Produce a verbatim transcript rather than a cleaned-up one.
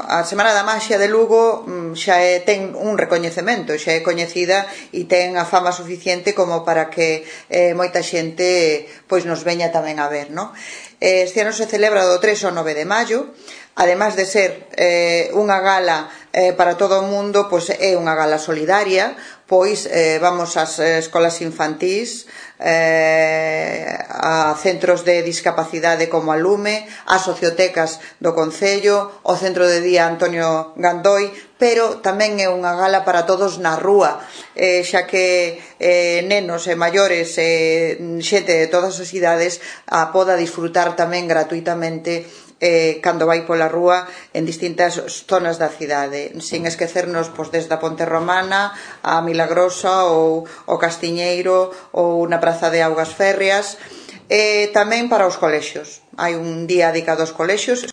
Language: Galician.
a Semana da Maxia de Lugo xa é, ten un recoñecemento, xa é coñecida e ten a fama suficiente como para que eh, moita xente pois nos veña tamén a ver, non? Este ano se celebra do tres ao nove de maio, además de ser eh, unha gala eh, para todo o mundo, pois é unha gala solidaria, pois eh, vamos ás escolas infantís, eh, a centros de discapacidade como a Lume, ás sociotecas do Concello, o Centro de Día Antonio Gandoi, pero tamén é unha gala para todos na rúa, eh, xa que eh, nenos e maiores e eh, xente de todas as idades a poda disfrutar tamén gratuitamente eh, cando vai pola rúa en distintas zonas da cidade, sin esquecernos pois, desde a Ponte Romana a Milagrosa ou o Castiñeiro ou na Praza de Augas Férreas, e tamén para os colexios. Hai un día dedicado aos colexios.